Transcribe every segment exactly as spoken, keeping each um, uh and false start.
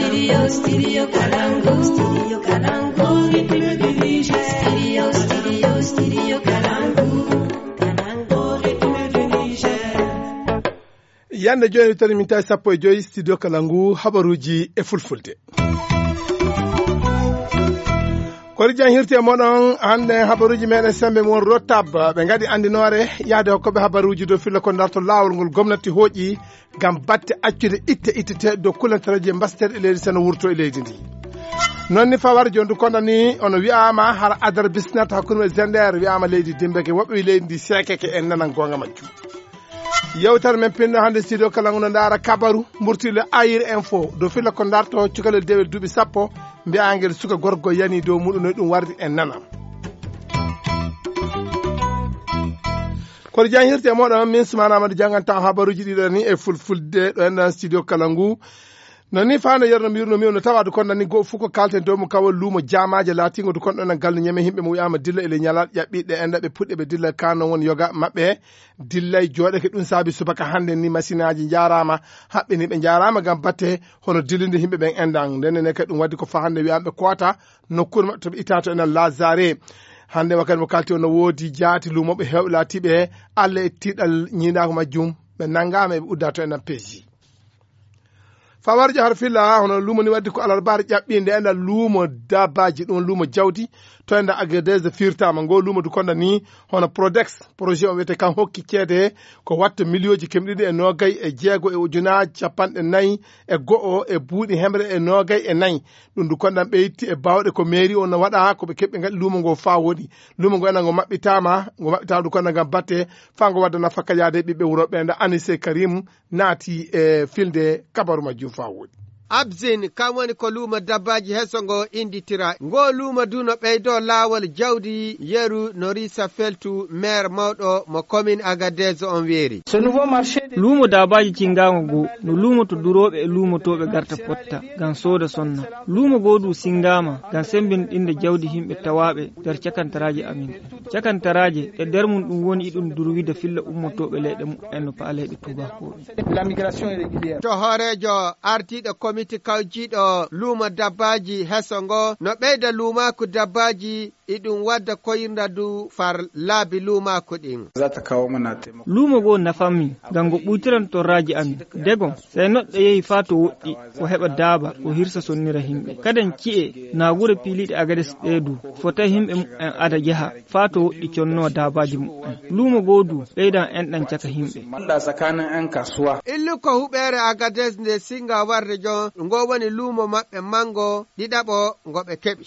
Studio, Studio Kalangu. Studio Kalangu. Au rythme du Niger. Studio, Studio, Studio Kalangu. Kalangu, au rythme du Niger. Yande jooni tani min tawi sappo e joyi studio Kalangu habaruuji e fulfulde. Kori jan hirti e moɗon hannde habaruuji meɗen sembe mon rotab. Ɓe ngaɗi anndinoore yahde hokkoɓe habaruuji dow filla ko darto laawol ngol gomnati hooƴi ngam batte accude itte itteteeɗe dow kulantareeje mbasteeɗe e leydi seno wurto e leydi ndi. Noon ni fawar jondu konda ni ono wi'ama hara adar bisnata hakkunde e Zender wi'ama leydi dimbeke woɓɓe wi leydi ndi sekeke en nanan gonga majjum. Yewtere men pinno hannde studio kala ngo no ndaara kabaru mburtile ayir info dow filla ko darto cukalel dewel duuɓi sappo mbi'angel suka gorgo yani dow muɗum no ɗum wardi en nana. Kono jan hirte moɗon min sumana amadu janganta habaruji ɗiɗo ni e fulfulde ɗo enɗan studio kala ngu. Non ni fano yerno mbirno mi ono tawa du konda ni go fuko kalten dow mo kawal lumo jamaje latingo du konda nan galno nyame himɓe mo wiyama dilla ele nyala ƴaɓɓiɗe enda ɓe puɗɗe ɓe dilla kano won yoga maɓɓe. Dillay joɗeke ɗum saabi subaka hande ni masinaji jarama haɓɓe ni ɓe jarama gam batte hono dillinde himɓe ɓen endan ndenne ne kadi ɗum waddi ko fa hande wiyaɓe koota nokkuure maɓɓe to ɓe ita to enen lazare. Hande wakkati mo kalti o no woodi jaati lumoɓe hewɓe laatiɓe allah e tiɗal ñiinako majjum ɓe nangama eɓe udda to enen peeji. Fawarjo har filla hono lumo ni waddi ko alarbar ƴaɓɓinde enen lumo dabaji ɗum lumo jawdi to enda agades firtama ngo lumo du konda ni hono prodex projet o wiyete kan hokki ceede ko watta miliyoji kemɗiɗi e nogay e jeego e ujunaji capanɗe nayi e go'o e buuɗi hemre e nogay e nayi. Ɗum du kondan ɓe itti e bawɗe ko mairie o no waɗa ko ɓe keɓɓe ngaɗi lumo ngo fa woɗi. Lumo ngo ena ngo maɓɓitama ngo maɓɓitama du kondan ngam batte fa ngo wadda nafaka yaade ɓiɓɓe wuro ɓe nda anise karim naati e filde kabaru majjum fa woɗi. Abzin kam woni ko luumo dabbaaji heso ngo innditira. Ngo luumo du no ɓeydo laawol jawdi yeru no risa feltu maire mawɗo mo commune Agadez on weeri. Luumo daabaaji cinngaango goo no luumoto durooɓe e luumotooɓe garta potta ngam sooda sonna. Luumo goo du sinngaama ngam semmbinɗinde jawdi yimɓe tawaaɓe nder cakantaraaji amin. Cakantaraaje e nder mum ɗum woni iɗum durwida filla ummotooɓe leyɗe muɓɓen no paaleyɗe tuubakooɓe. To hooreejo ardiiɗo komiti kawjiiɗo luumo dabbaaji heso ngo no ɓeyda luumaaku dabbaaji iɗum wadda koyirnda du far laabi luumaaku ɗin. Luumo goo nafammi ngam ngo ɓuytiran torraaji amin. Dego, sey neɗɗo yehi faa to woɗɗi, o heɓa daaba, o hirsa sonnira yimɓe. Kaden ci'e naa wure piiliiɗe Agades ɗee du, fota yimɓe muɓɓen ada yaha faa to woɗɗi connoo daabaaji muɓɓen. Luumo goo du ɓeydan enɗan caka yimɓe. Illu ko huɓeere Agades nde singa warde jon, ngo woni luumo maɓɓe manngo ɗiɗaɓo ngo ɓe keɓi.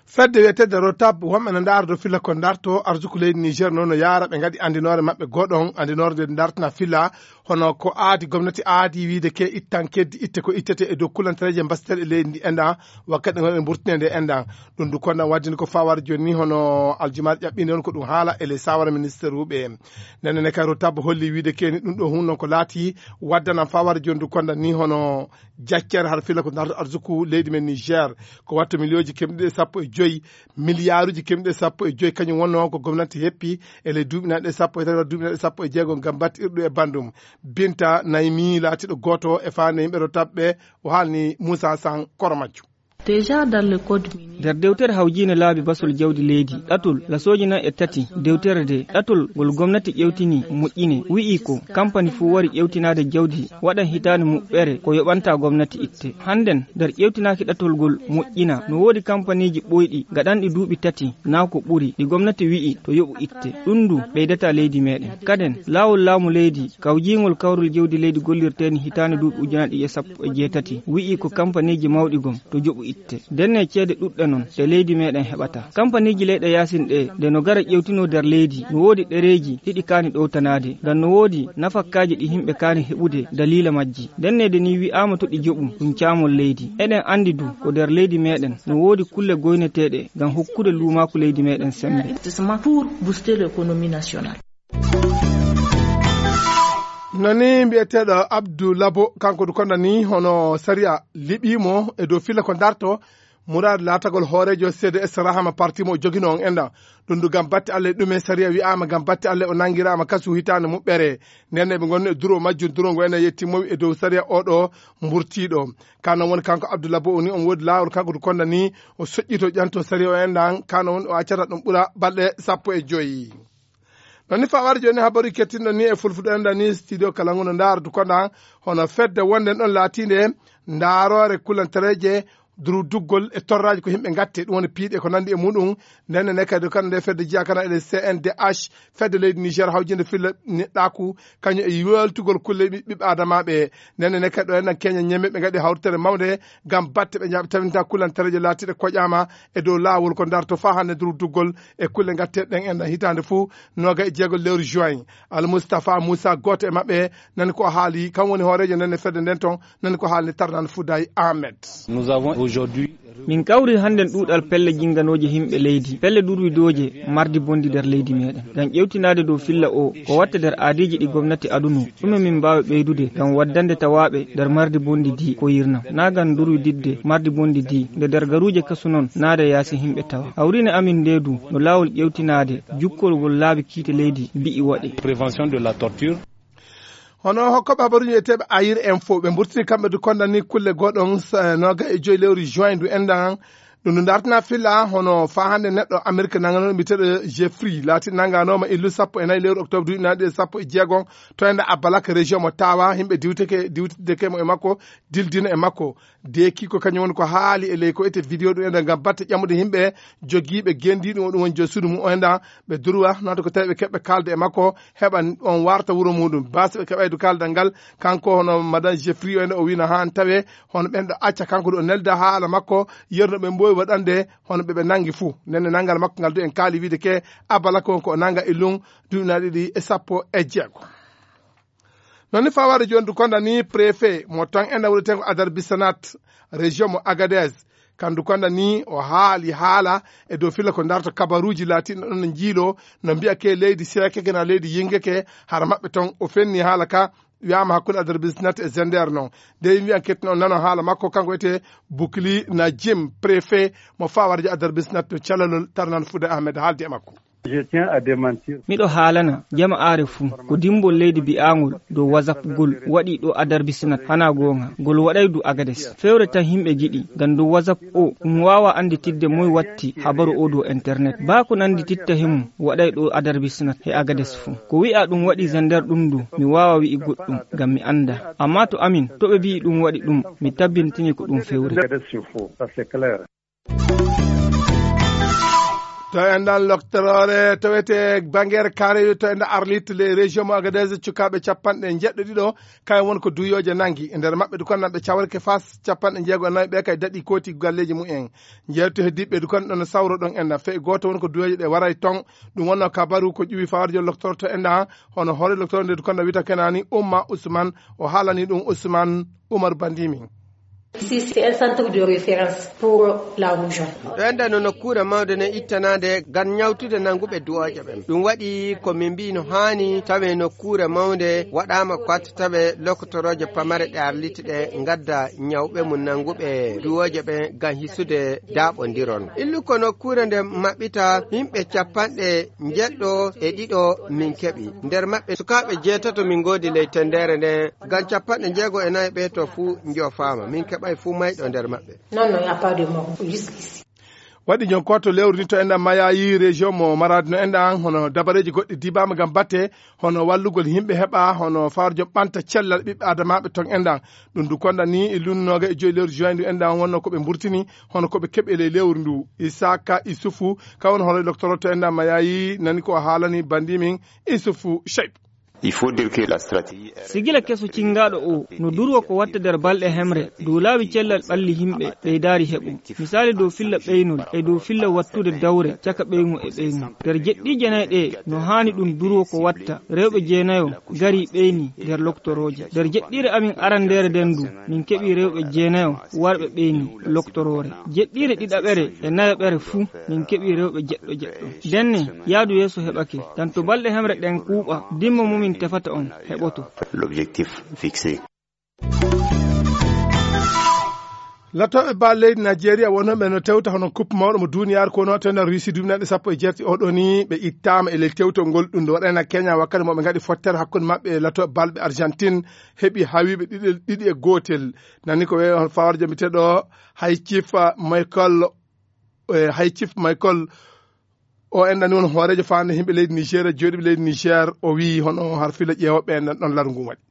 Fedde wiyeteedde Rotab, wonɓe no ndaara dow filla ko ndarto arsuku leydi Niger noon no yaara ɓe ngaɗi anndinoore maɓɓe goɗon, anndinoore nde ndartana filla, hono ko aadi, gomnati aadi wiide ke ittan keddi itte ko ittete e dow kulantareeje mbasteeɗe leydi ndi enɗan, wakkati ɗe ngonɗen burtinde nde enɗan. Ɗum du konɗan waddini ko fawar jooni ni hono aljumaare ƴaɓɓinde on ko ɗum haala e les sawara ministère uɓe. Nden ne kay Rotab holli wiide ke ni ɗum ɗo hun noon ko laati waddanan fawar jooni du konɗan ni hono jaccere har filla ko ndarto arsuku leydi men Niger. Ko watta miliyooji kemɗe sappo e joyi, miliyaaruji kemɗe sappo e joyi, kañum wonnoo ko gomnati heppi e ley duuɓi nanɗe sappo e tati, duuɓi nanɗe sappo e jeego, ngam battirɗo e banndum. Binta Naymi laatiiɗo gooto e faande yimɓe Rotab ɓe, o haalni Moussa San koro majjum. Déjà dans le code minier. Nder dewtere hawjiinde laabi basol jawdi leydi, ɗatol lasooji nayi e tati, dewtere de, ɗatol ngol gomnati ƴewtini moƴƴine, wi'i ko kampani fuu wari ƴewtinaade jawdi waɗan hitaande muɓɓere ko yoɓanta gomnati itte. Hannden, nder ƴeewtinaaki ɗatol ngol moƴƴina, no woodi kampaniiji ɓooyɗi gaɗanɗi duuɓi tati naa ko ɓuri, ɗi gomnati wi'i to yoɓu itte. Ɗum du ɓeydataa leydi meeɗen. Kaden, laawol laamu leydi, kawjiingol kawrol jawdi leydi gollirteeni hitaande duuɓi ujunaaji ɗiɗi e sappo e jeetati, wi'i ko kampaniiji mawɗi gom to joɓu itte. Ndenne ceede ɗuɗɗe non ɗe leydi meeɗen heɓata. Kampaniiji leyɗe yaasin ɗe, nde no gara ƴewtinoo nder leydi, no woodi ɗereeji ɗiɗi kaani ɗowtanaade. Ngam no woodi nafakkaaji ɗi yimɓe kaani heɓude daliila majji. Ndenne de ni wi'aama to ɗi joɓu, ɗum caamol leydi. Eɗen anndi du, ko nder leydi meeɗen, no woodi kulle goyneteeɗe ngam hokkude luumaaku leydi meeɗen semmbe. Pour booster l'économie nationale. Nani mbiyeteeɗo Abdou Labo, kanko du konda ni hono sariya liɓiimo e dow filla ko darto, Muraad laatagol hooreejo C D S Rahama parti mo o joginoo on enɗan. Ɗum du ngam batte Allah e ɗume sariya wi'aama ngam batte Allah o nanngiraama kasu hitaande muɓɓere. Nden ne ɓe ngonno e duro majjum, duro ngo enen yettimmowi e dow sariya o ɗo mburtiiɗo. Ka non woni kanko Abdoullah Bo o ni on woodi laawol kanko du konda ni o soƴƴito ƴanto sariya o enɗan. Ka non woni o accata ɗum ɓura balɗe sappo e joyi. Non ni fawar jooni habaru kettinɗo ni e fulfuɗo enɗan ni studio kala ngu no ndaara du konda hono fedde wonde ɗon laatiinde ndaaroore kulantareeje duruduggol e torraaji ko yimɓe ngatte, ɗum woni piiɗe ko nanndi e muɗum. Nden ne kadi kala nde fedde jeyaa kana e C N D H, fedde leydi Niger hawjinde filla neɗɗaaku, kañum e yoltugol kulle ɓi-, ɓiɓɓe adamaaɓe. Nden ne kadi ɗo enɗan keña ñemme ɓe ngaɗi hawritere mawnde ngam batte ɓe ñaaɓe tawinta kulantareeje laatiiɗe koƴaama e dow laawol ko darto faa hannde duruduggol e kulle ngatte ɗen enɗan hitaande fuu nooga e jeego lewru juin. Al Mustafa Moussa gooto e maɓɓe nani ko haali, kam woni hooreejo nden ne fedde nden ton, nani ko haalni Tarnan Fouday Ahmed. Nous avons aujourd'hui Min kawri hannden ɗuuɗal pelle jinnganooje yimɓe leydi, pelle durwidooje mardi bonndi nder leydi meɗen. Ngam ƴewtinaade dow filla o, ko watta nder aadiiji ɗi gomnati adunoo, ɗume min mbaawi ɓeydude ngam waddande tawaaɓe nder mardi bonndi di ko yirnam. Naa ngam durwididde mardi bonndi di nde nder garuuje kasu non, naade yaasi yimɓe tawa. Hawriine amin nde du no laawol ƴewtinaade jukkolgol laabi kiite leydi mbi'i waɗi. Prévention de la torture. Hono hokkoɓe habaruji wiyeteeɓe Ayir Info, ɓe mburtini kamɓe du konda ni kulle goɗon sa-, nooga e joyi lewru juin du enɗan. Ɗum du dartina filla hono faa hannde neɗɗo Amerik nangano mbiyeteeɗo Jeffrey laati nanganoma illu sappo e nayi lewru octobre duuɓi nayi ɗi e sappo e jeego to enɗan Abalak région mo Tawa, yimɓe diwteke, diwtideke mo e makko, dildina e makko. Deeki ko kañum woni ko haali e ley ko ete vidéo ɗum enɗan ngam batte ƴamude yimɓe jogiiɓe gendiiɗum o ɗum woni jo suudu mum o enɗan ɓe durwa noon ko tawi ɓe keɓɓe kaalde e makko heɓa on warta wuro muɗum. Baasi ɓe keɓaydu kaaldal ngal kanko hono madame Jeffrey o enɗan o wino haan tawe hono ɓen ɗo acca kanko ɗo nelda haala makko yerno ɓe mbowi waɗande hono ɓe ɓe nangi fuu. Nden ne nangal makko ngal du en kaali wiide ke Abalak on ko o nanga e lum duuɓi nayi ɗiɗi e sappo e jeego. Non ni fawaade jooni du konda ni préfet mo tan enɗan woni tengo Adar Bisanat région mo Agadez. Kandu konda ni o haali haala e dow filla ko darto kabaruuji laatiiɗo ɗon no njiilo no mbiya ke leydi seekeke na leydi yingeke hara maɓɓe ton o fenni haala ka wiyaama hakkunde Adar Bisanat e Zender non. De mbiyan kettin on nano haala makko kanko ete Bukli Najim préfet mo fawaade Adar Bisanat to calalol Tarnan Fude Ahmed haaldi e makko. Je tiens à démentir. Miɗo haalana jama'aare fuu ko dimbol leydi bi'aangol dow WhatsApp ngol waɗi ɗo Adar Bisinat. Hanaa goonga, ngol waɗay du Agades. Fewre tan yimɓe ngiɗi, ngam dow WhatsApp o, ɗum waawaa annditidde moy watti habaru o dow internet. Baa ko nanndititta he mum waɗay ɗo Adar Bisinat he Agades fuu. Ko wi'aa ɗum waɗi Zender ɗum du, mi waawaa wi'i goɗɗum, ngam mi anndaa. Ammaa to amin, to ɓe mbi'i ɗum waɗi ɗum, mi tabbintini ko ɗum fewre. Agades, c'est faux. Ça, c'est clair. To enɗan loktoroore tawete bangere karewi to enɗan Arlit le région mo Agadez cukaaɓe capanɗe njeɗɗo ɗiɗo kayen woni ko duyoje nangi e nder maɓɓe du kon nanɓe cawreke fas capanɗe jeego e nayi ɓe kay daɗi kooti galleji mumen. Jeewte heddiɓe du kon ɗon sawro ɗon enɗan fe gooto woni ko duyoje ɗe waray ton. Ɗum wonno kabaru ko ƴuwi fawarjo loktoro to enɗan hono hoore loktoro nde du kon wita kenani Umma Usman o haalani ɗum Usman Umar Bandimi. Ici, c'est un centre de référence pour la rougeole. Ɗo enɗan no nokkuure mawnde ne ittanaande ngam ñawtude nannguɓe duwooje ɓen. Ɗum waɗi ko min mbiyi no haani tawe nokkuure mawnde waɗaama ko watta tawe lokotorooje pamare ɗe arliti ɗe ngadda ñawɓe mum nannguɓe duwooje ɓen ngam hisude daaɓondiron. Illu ko nokkuure nde maɓɓita yimɓe capanɗe njeɗɗo e ɗiɗo min keɓi. Nder maɓɓe sukaaɓe jeetato min ngoodi ley tenndeere nden. Ngam capanɗe jeego e nayi ɓe to fuu njoofaama. Min keɓay fuu mayɗo nder maɓɓe. Non, non, il n'y a pas de mort, juste ici. Waɗi ñon ko to lewru ni to enɗan mayayi région mo Maradi no enɗan hono dabareeji goɗɗi dibaama ngam batte hono wallugol yimɓe heɓa hono farjo ɓanta cellal ɓiɓɓe adamaaɓe ton enɗan. Ɗum du konɗan ni e lunnooga e joyi lewru juin ndu enɗan wonno ko ɓe mburtini hono ko ɓe keɓi e ley lewru ndu. Isaka Isufu ka woni hono loktoro to enɗan mayayi nani ko o haalani bandi min Isufu Cheyb. Il faut dire que la stratégie Sigila keso cingaaɗo o no durwa ko watta nder balɗe hemre dow laawi cellal ɓalli yimɓe ɓeydaari heɓo. Misaali dow filla ɓeynol e dow filla wattude dawre caka ɓeyŋu e ɓeyŋu. Nder jeɗɗiije nayi ɗe no haani ɗum durwa ko watta rewɓe jeenayo gari ɓeyni nder loktorooje. Nder jeɗɗiire amin arandeere nden du min keɓi rewɓe jeenayo warɓe ɓeyni loktoroore. Jeɗɗiire ɗiɗaɓere e nayaɓere fuu min keɓi rewɓe jeɗɗo jeɗɗo. Ndenne yaadu yeeso heɓake, ngam to balɗe hemre ɗen kuuɓa, dimma mo min tefata on heɓoto. L'objectif fixé. Latooɓe bal leydi Najeriya wonooɓe no tewta hono kuppe mawɗo mo duniyaaru ko wonoo to nder Russie duuɓi nanɗe sappo e jeetati oɗo ni, ɓe ittaama e ley tewtol ngol. Ɗum ɗo waɗaani Kenya wakkati mo ɓe ngaɗi fottere hakkunde maɓɓe e latooɓe bal ɓe Argentine, heɓi hawiiɓe ɗiɗi, ɗiɗi e gootel. Nani ko wee on fawar jomiteɗo hay Chief Michael, eh, hay Chief Michael o enɗani won hooreejo faande yimɓe leydi Niger, jooɗiiɓe leydi Niger, o wiyi hono har fila ƴeewooɓe enɗan ɗon laru ngun waɗi.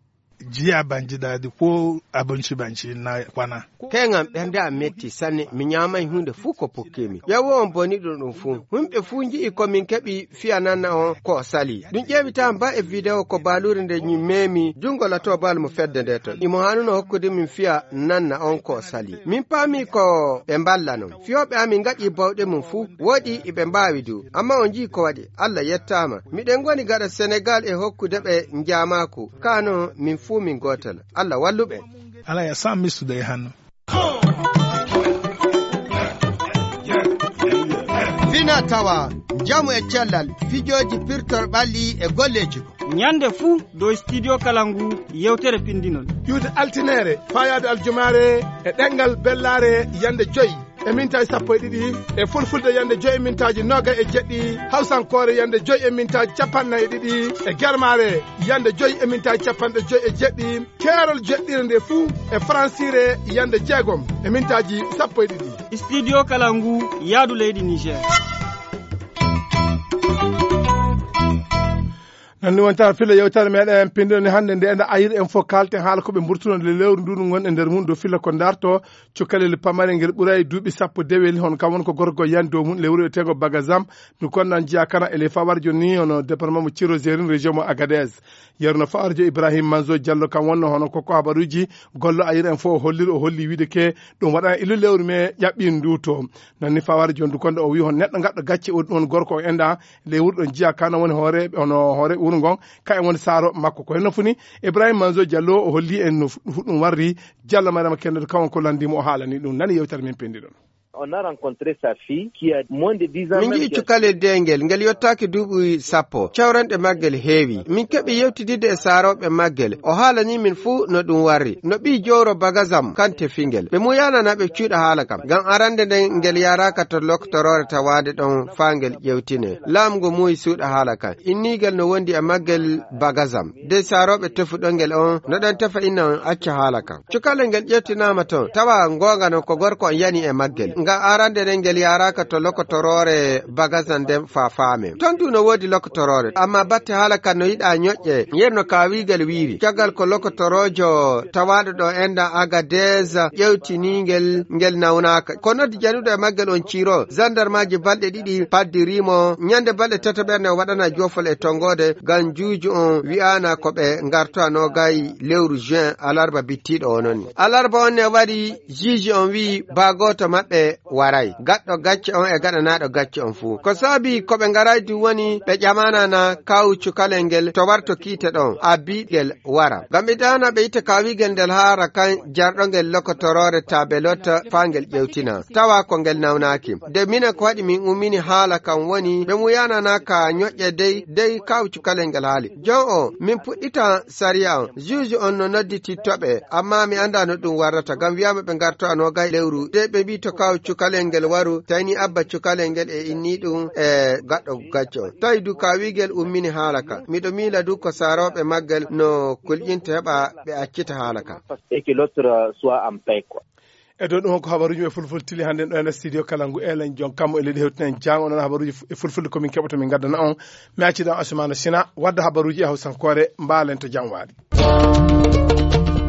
Jiya banji dadi ko abinci banci na kwana. Keŋan ɓernde am metti sanne, mi ñaamay huunde fuu ko pokkimi. Ƴeewo on boni ɗum ɗum fuu. Yimɓe fuu nji'i ko min keɓi fiya nanna on ko o sali. Ɗum ƴeewitaama ba e video ko baaluure nde ñi memi junngo latoo bal mo fedde nde ton. Imo haanuno hokkude min fiya nanna on ko o sali. Min paami ko ɓe mballanon. Fiyooɓe amin ngaɗi bawɗe mum fuu. Woɗi iɓe mbaawi du. Amma on nji'i ko waɗi. Allah yettaama. Miɗen ngoni gaɗa Senegal e hokkude ɓe njaamaaku. Kaa non, min fuu min gootel. Allah wallu ɓe. Ala ya san mistude e hanno. Fina tawa, njamu e cellal, fijooji pirtor ɓalli e golleeji ko. Ñande fuu dow studio kala ngu yewtere pindinol. Ƴuwde altineere, faayaade aljumaare e ɗemngal bellaare yande joy e mintaaji sappo e ɗiɗi, e fulfulde yande joy e mintaaji noogay e jeɗɗi, hawsankoore yande joy e mintaaji capanɗe nayi e ɗiɗi, e germaare yande joy e mintaaji capanɗe joy e jeɗɗi, keerol jeɗɗire nde fuu e faransiire yande jeegom e mintaaji sappo e ɗiɗi. Studio kala ngu yaadu leydi Niger. Nanni wonta filla yewtere meɗen pinɗo ni hannde nde enda ayir en fof kalten haala ko ɓe mburtuno nde lewru ndu ngon e nder mum do filla ko darto cukalel pamare ngel ɓuray duuɓi sappo dewel hon kam won ko gorko yan dow mum lewru e tego bagazam ndu konnan jiya kana e le fawar joni hono département mo Ciro Zerin région mo Agadez. Yerno Fawarjo Ibrahim Manzo Diallo kam wonno hono ko ko habaruji gollo ayir en fof o holliri o holli wiide ke ɗum waɗana illu lewru me ƴaɓɓi ndu to. Nanni Fawarjo ndu konde o wi hon neɗɗo gaɗɗo gacce o ɗum won gorko o enda lewru ɗon jiya kana woni hoore hono hoore wuro ngon ka e woni saaro makko ko henno funi. Ibrahim Manzo Diallo o holli en no fu- ɗum warri. Diallo Mariama Kendo kam on ko landimo o haalani ɗum nani yewtere men pendiɗon. On a rencontré sa fille qui a moins de dix ans. Min nji'i cukalel deengel ngel yottaaki duuɓi sappo. Cawranɗe maggel heewi. Min keɓi yewtididde e saarooɓe maggel. O haalani min fuu no ɗum warri. No ɓii jowro bagasam kan tefingel. Ɓe muyanana ɓe cuuɗa haala kam. Ngam arande nden ngel yaraaka to loktoroore tawaade ɗon faa ngel ƴewtine. Laamu ngu muuyi suuɗa haala kan. Innigel no wondi e maggel bagasam. De saarooɓe tefuɗo ngel on no ɗon tefa inna on acca haala kan. Cukalel ngel ƴettinaama toon, tawa goonga non ko gorko on yani e maggel. Nga arande nden ngel yaaraaka to lokotoroore bagasan nden faa faamen. Toon du no woodi lokotoroore, amma batte haala kan no yiɗaa ñoƴƴe, yer no kaawigel wiiri. Caggal ko lokotoroojo tawaaɗo ɗo enɗan Agadez ƴewtiniingel, ngel nawnaaka. Ko noddi januɗo e maggel on Ciro, zandarmaaji balɗe ɗiɗi paddiriimo, ñande balɗe tataɓerde o waɗana joofol e tongoode, ngam juuju on wi'aana ko ɓe ngartoyano gay lewru juin, alarba bittiiɗo o non. Alarba on ne waɗi, juge on wi'i ba gooto maɓɓe waray. Gaɗɗo gacce on e gaɗanaaɗo gacce on fuu. Ko saabi ko ɓe ngaray du woni ɓe ƴamanana kawu cukalel ngel to warto kiite ɗon, abbi ngel wara. Ngam ɓe dana ɓe itta kawigel ndel haara kan jarɗo ngel lokotoroore tabelot faa ngel ƴewtina. Tawa ko ngel nawnaaki. De minen ko waɗi min ummini haala kan woni ɓe muyanana ka ñoƴƴe dey, dey kawu cukalel ngel haali. Jon o, min puɗɗita sariya on. Juge on no noddititto ɓe, amma mi anndaa no ɗum warrata. Ngam wiyaama ɓe ngarto a noogay lewru. De ɓe mbii to kaw cukalel ngel waru, tayni abba cukalel ngel e inni ɗum e gaɗɗo gacce on. Tawi du kawigel ummini haala ka. Miɗo miila du ko saarooɓe maggel no kulƴinta heɓa ɓe accita haala ka. Et que l'autre soit en paix, quoi. E dow ɗum ko habaruuji e fulfulde tili hannde ɗo e nder studio kala ngu elen jon kammu e leydi hewtinen jang onon habaruuji fu- e fulfulde komin keɓoto min ngaddana on. Mi acciɗan Asumana Sina wadda habaruuji e hawsankoore mbaalen to jam waali.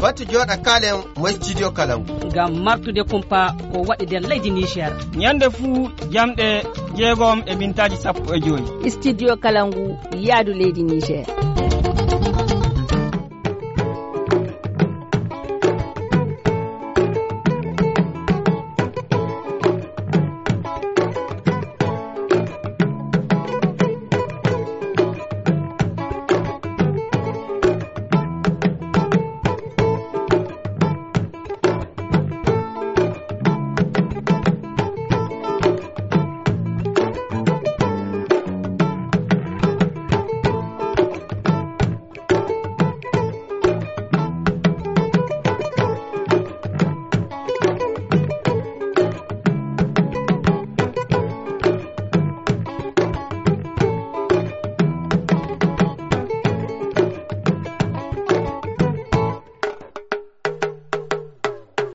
Wattu jooɗa kaalen mo studio kala ngu. Ngam martude kumpa ko waɗi nder leydi Niger. Ñande fuu jamɗe jeegom e mintaaji sappo e joyi. Studio kala ngu yaadu leydi Niger.